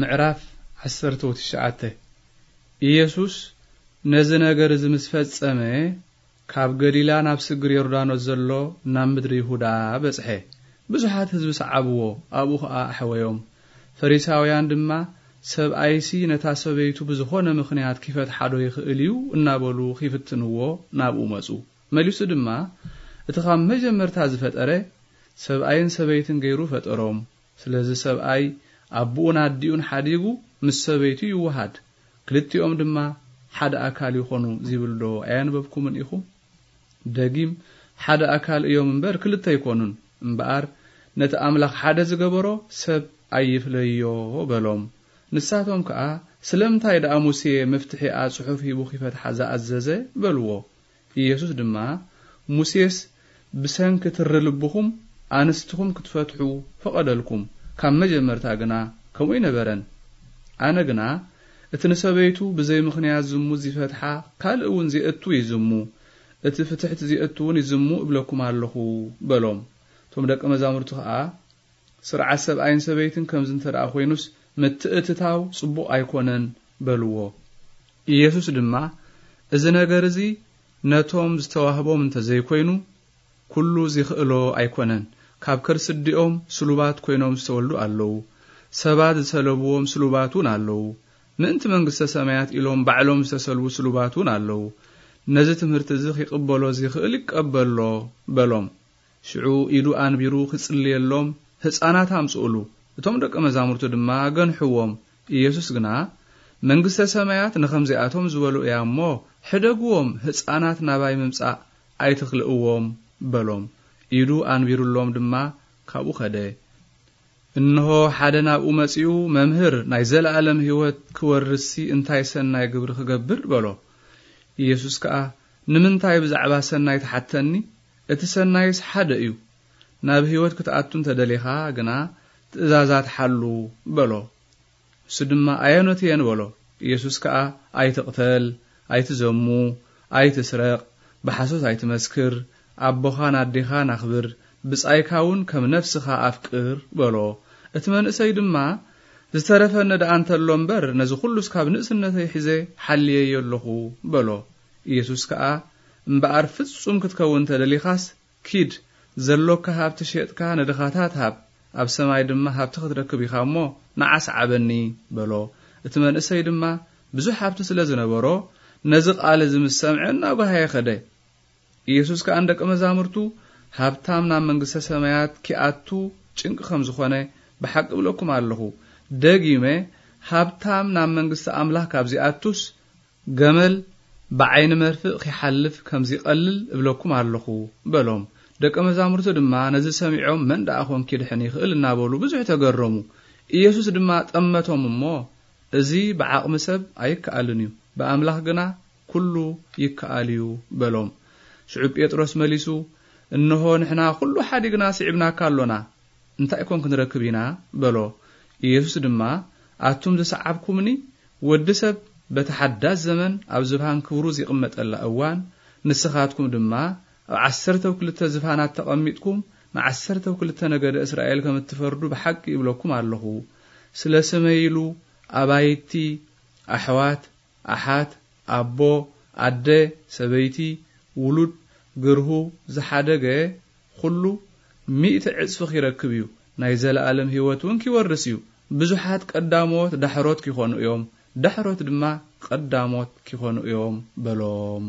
ምዕራፍ ዓሰርተ ትሽዓተ። ኢየሱስ ነዚ ነገር እዚ ምስ ፈጸመ፣ ካብ ገሊላ ናብ ስግር ዮርዳኖስ ዘሎ ናብ ምድሪ ይሁዳ በጽሐ። ብዙሓት ህዝቢ ሰዓብዎ፣ ኣብኡ ኸኣ ኣሕወዮም። ፈሪሳውያን ድማ፣ "ሰብኣይሲ ነታ ሰበይቱ ብዝኾነ ምኽንያት ኪፈትሓ ዶ ይኽእል እዩ?" እናበሉ ኺፍትንዎ ናብኡ መጹ። መሊሱ ድማ፣ "እቲ ኻብ መጀመርታ ዝፈጠረ፣ ሰብኣይን ሰበይትን ገይሩ ፈጠሮም። ስለዚ ሰብኣይ ኣቦኡን ኣዲኡን ሓዲጉ ምስ ሰበይቱ ይወሃድ፣ ክልቲኦም ድማ ሓደ ኣካል ይኾኑ" ዚብል ዶ ኣየንበብኩምን ኢኹም? ደጊም፣ "ሓደ ኣካል እዮም እምበር ክልተ ኣይኮኑን፣ እምበኣር ነቲ ኣምላኽ ሓደ ዝገበሮ ሰብ ኣይፍለዮ" በሎም። ንሳቶም ከኣ፣ "ስለምንታይ ደኣ ሙሴ መፍትሒኣ ጽሑፍ ሂቡ ኺፈትሓ ዝኣዘዘ?" በልዎ። ኢየሱስ ድማ፣ "ሙሴስ ብሰንኪ ትሪ ልብኹም ኣንስትኹም ክትፈትሑ ፈቐደልኩም፣ ካብ መጀመርታ ግና ከምኡ ኣይነበረን። ኣነ ግና፣ እቲ ንሰበይቱ ብዘይ ምኽንያት ዝሙት ዚፈትሓ፣ ካልእ እውን ዜእቱ ይዝሙ፣ እቲ ፍትሕቲ ዜእቱ እውን ይዝሙ እብለኩም ኣለኹ" በሎም። እቶም ደቀ መዛሙርቱ ኸኣ፣ "ስርዓት ሰብኣይን ሰበይትን ከምዚ እንተ ደኣ ኾይኑስ፣ ምትእትታው ጽቡቕ ኣይኮነን" በልዎ። ኢየሱስ ድማ፣ "እዚ ነገር እዚ ነቶም ዝተዋህቦም እንተ ዘይኮይኑ፣ ኩሉ ዚኽእሎ ኣይኮነን። ካብ ከርሲ ኣዲኦም ስሉባት ኮይኖም ዝተወልዱ ኣለዉ። ሰባት ዝሰለብዎም ስሉባት እውን ኣለዉ። ምእንቲ መንግስተ ሰማያት ኢሎም ባዕሎም ዝተሰልቡ ስሉባት እውን ኣለዉ። ነዚ ትምህርቲ እዚ ኺቕበሎ ዚኽእል ይቀበሎ" በሎም። ሽዑ ኢዱ ኣንቢሩ ኺጽልየሎም፣ "ህጻናት ኣምጽኡሉ" እቶም ደቀ መዛሙርቱ ድማ ገንሕዎም። ኢየሱስ ግና፣ "መንግስተ ሰማያት ንኸምዚኣቶም ዝበሉ እያ እሞ፣ ሕደግዎም፣ ህጻናት ናባይ ምምጻእ ኣይትኽልእዎም" በሎም። ኢዱ ኣንቢሩሎም ድማ ካብኡ ኸደ። እንሆ፣ ሓደ ናብኡ መጺኡ፣ "መምህር፣ ናይ ዘለኣለም ህይወት ክወርስሲ እንታይ ሰናይ ግብሪ ክገብር?" በሎ። ኢየሱስ ከኣ፣ "ንምንታይ ብዛዕባ ሰናይ ትሓተኒ? እቲ ሰናይስ ሓደ እዩ። ናብ ህይወት ክትኣቱ እንተ ደሊኻ ግና ትእዛዛት ሓሉ" በሎ። እሱ ድማ፣ "ኣየኖት እየን?" በሎ። ኢየሱስ ከኣ፣ "ኣይትቕተል፣ ኣይትዘሙ፣ ኣይትስረቕ፣ ብሓሶት ኣይትመስክር፣ ኣቦኻን ኣዴኻን ኣኽብር፣ ብጻይካ እውን ከም ነፍስኻ ኣፍቅር" በሎ። እቲ መንእሰይ ድማ፣ "ዝተረፈኒ ደኣ እንተሎ እምበር፣ ነዚ ኹሉስ ካብ ንእስነተይ ሒዘ ሓልየዮ ኣለኹ" በሎ። ኢየሱስ ከኣ፣ "እምበኣር ፍጹም ክትከውን እንተ ደሊኻስ፣ ኪድ፣ ዘሎካ ሃብቲ ሸጥካ ንድኻታት ሃብ፣ ኣብ ሰማይ ድማ ሃብቲ ክትረክብ ኢኻ እሞ፣ ንዓ ስዓበኒ" በሎ። እቲ መንእሰይ ድማ ብዙሕ ሃብቲ ስለ ዝነበሮ፣ ነዚ ቃል እዚ ምስ ሰምዐ፣ እናጓሃየ ኸደ። ኢየሱስ ከኣ ንደቀ መዛሙርቱ፣ "ሃብታም ናብ መንግስተ ሰማያት ኪኣቱ ጭንቂ ከም ዝኾነ ብሓቂ እብለኩም ኣለኹ። ደጊመ፣ ሃብታም ናብ መንግስቲ ኣምላኽ ካብ ዚኣቱስ፣ ገመል ብዓይኒ መርፍእ ኺሓልፍ ከም ዚቐልል እብለኩም ኣለኹ" በሎም። ደቀ መዛሙርቱ ድማ ነዚ ሰሚዖም፣ "መን ደኣ ኾን ኪድሕን ይኽእል?" እናበሉ ብዙሕ ተገረሙ። ኢየሱስ ድማ ጠመቶም እሞ፣ "እዚ ብዓቕሚ ሰብ ኣይከኣልን እዩ፣ ብኣምላኽ ግና ኩሉ ይከኣል እዩ" በሎም። ሽዑ ጴጥሮስ መሊሱ፣ "እንሆ፣ ንሕና ኩሉ ሓዲግና ስዒብናካ ኣሎና፣ እንታይ ኮን ክንረክብ ኢና?" በሎ። ኢየሱስ ድማ፣ "ኣቱም ዝሰዓብኩምኒ፣ ወዲ ሰብ በቲ ሓዳስ ዘመን ኣብ ዝባን ክብሩ ዚቕመጠላ እዋን፣ ንስኻትኩም ድማ ኣብ ዓሰርተው ክልተ ዝፋናት ተቐሚጥኩም፣ ንዓሰርተው ክልተ ነገደ እስራኤል ከም እትፈርዱ ብሓቂ እብለኩም ኣለኹ። ስለ ስመይ ኢሉ ኣባይቲ፣ ኣሕዋት፣ ኣሓት፣ ኣቦ፣ ኣደ፣ ሰበይቲ፣ ውሉድ፣ ግርሁ ዝሓደገ ኹሉ ሚእቲ ዕጽፊ ኺረክብ እዩ፣ ናይ ዘለኣለም ህይወት እውን ኪወርስ እዩ። ብዙሓት ቀዳሞት ዳሕሮት ኪኾኑ እዮም፣ ዳሕሮት ድማ ቀዳሞት ኪኾኑ እዮም" በሎም።